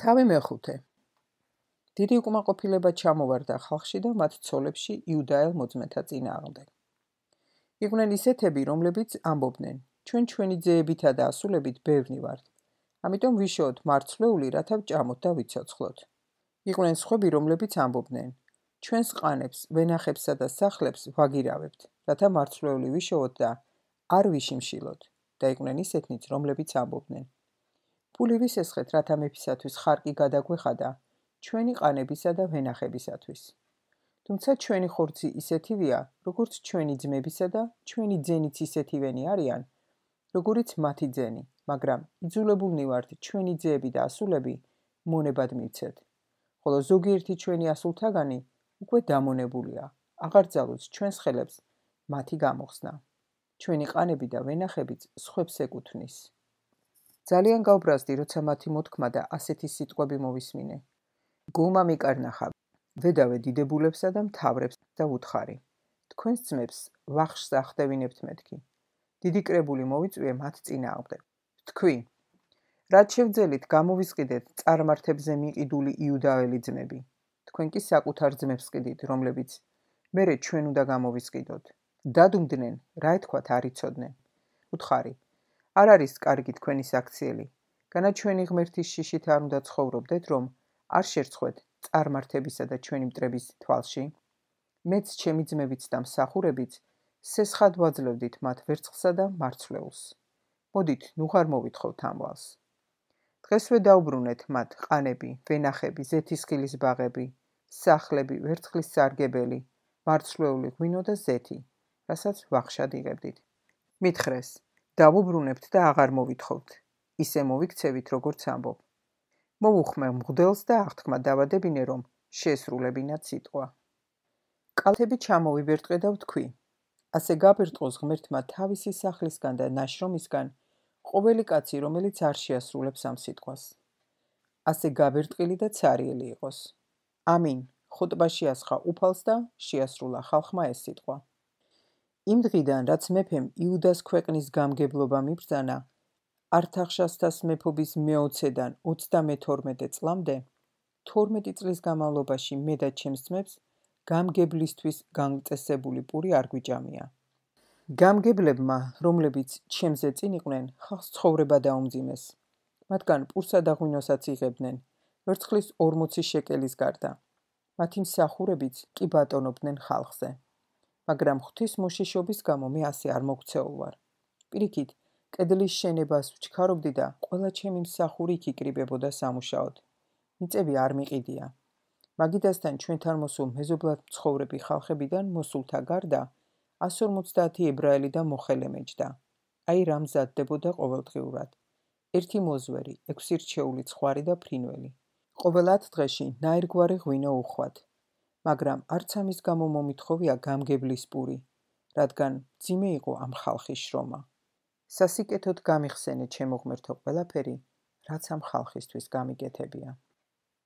თავი მეხუთე. დიდი უკმაყოფილება ჩამოვარდა ხალხში და მათ ცოლებში იუდაელ მოწმეთა წინააღმდეგ. იყვნენ ისეთები, რომლებიც ამბობდნენ, ჩვენი ძეებითა და ასულებით ბევრნი ვართ, ამიტომ ვიშოვოთ მარცვლეული, რათა ვჭამოთ და ვიცოცხლოთ. იყვნენ სხვები, რომლებიც ამბობდნენ, ჩვენს ყანებს, ვენახებსა და სახლებს ვაგირავებთ, რათა მარცვლეული ვიშოვოთ და არ ვიშიმშილოთ. და იყვნენ ისეთნიც, რომლებიც ამბობდნენ, ფული ვისესხეთ, რათა მეფისათვის ხარკი გადაგვეხადა ჩვენი ყანებისა და ვენახებისათვის. თუმცა ჩვენი ხორცი ისეთივეა, როგორც ჩვენი ძმებისა და ჩვენი ძენიც ისეთივენი არიან, როგორიც მათი ძენი, მაგრამ იძულებულნი ვართ ჩვენი ძეები და ასულები მონებად მივცეთ. ხოლო ზოგიერთი ჩვენი ასულთაგანი უკვე დამონებულია, აღარ ძალუძს ჩვენს ხელებს მათი გამოხსნა. ჩვენი ყანები და ვენახებიც სხვებს ეკუთვნის. ძალიან გავბრაზდი, როცა მათი მოთქმა და ასეთი სიტყვები მოვისმინე. გულმა მიკარნახა, ვედავე დიდებულებსა და მთავრებს და ვუთხარი. თქვენს ძმებს ვახშს ახდევინებთ მეთქი. დიდი კრებული მოვიწვიე მათ წინააღმდეგ. ვთქვი, რაც შევძელით გამოვისყიდეთ წარმართებზე მიყიდული იუდაელი ძმები. თქვენ კი საკუთარ ძმებს ყიდით, რომლებიც მერე ჩვენ უნდა გამოვისყიდოთ. დადუმდნენ, რა ეთქვათ არ იცოდნენ. ვუთხარი, არ არის კარგი თქვენი საქციელი. განა ჩვენი ღმერთის შიშით არ უნდა ცხოვრობდეთ, რომ არ შერცხვეთ წარმართებისა და ჩვენი მტრების თვალში. მეც ჩემი ძმებიც და მსახურებიც სესხად ვაძლევდით მათ ვერცხლსა და მარცვლეულს. მოდით, ნუ ღარ მოვითხოვთ ამვალს. დღესვე დაუბრუნეთ მათ ყანები, ვენახები, ზეთისხილის ბაღები, სახლები, ვერცხლის სარგებელი, მარცვლეული ღვინო და ზეთი, რასაც ვახშად იღებდით. მითხრეს, დავუბრუნებთ და აღარ მოვითხოვთ. ისე მოვიქცევით, როგორც ამბობ. მოვუხმე მღვდელს და აღთქმა დავადებინე, რომ შეესრულებინათ სიტყვა. კალთები ჩამოვიბერტყე და ვთქვი, ასე გაბერტყოს ღმერთმა თავისი სახლისგან და ნაშრომისგან ყოველი კაცი, რომელიც არ შეასრულებს ამ სიტყვას. ასე გაბერტყილი და ცარიელი იყოს. ამინ, ხოტბაში ასხა უფალს და შეასრულა ხალხმა ეს სიტყვა. იმ დღიდან, რაც მეფემ იუდას ქვეყნის გამგებლობა მიბრძანა, ართახშასთას მეფობის მე-20-დან 32 წლამდე, 12 წლის განმავლობაში მე და ჩემს ძმებს გამგებლისთვის განწესებული პური არ გვიჭამია. გამგებლებმა, რომლებიც ჩემზე წინ იყვნენ, ხალხს ცხოვრება დაუმძიმეს. მათგან პურსა და ღვინოსაც იღებდნენ, ვერცხლის 40 შეკელის გარდა. მათი მსახურებიც კი ბატონობდნენ ხალხზე. მაგრამ ღვთის მოშიშობის გამო მე ასე არ მოქცეულ ვარ. პირიქით, კედლის შენებას ვჩქარობდი და ყველა ჩემი მსახური იქ იკრიბებოდა სამუშაოდ. მიწები არ მიყიდია. მაგიდასთან ჩვენთან მოსულ მეზობლად მცხოვრები ხალხებიდან მოსულთა გარდა 150 ებრაელი და მოხელე მეჯდა. აი რა მზადდებოდა ყოველდღიურად. 1 მოზვერი, 6 რჩეული ცხვარი და ფრინველი. ყოველ 10 დღეში ნაირგვარი ღვინო უხვად. მაგრამ არც ამის გამო მომითხოვია გამგებლის პური, რადგან მძიმე იყო ამ ხალხის შრომა. სასიკეთოდ გამიხსენე ჩემო ღმერთო ყველაფერი, რაც ამ ხალხისთვის გამიგეთებია.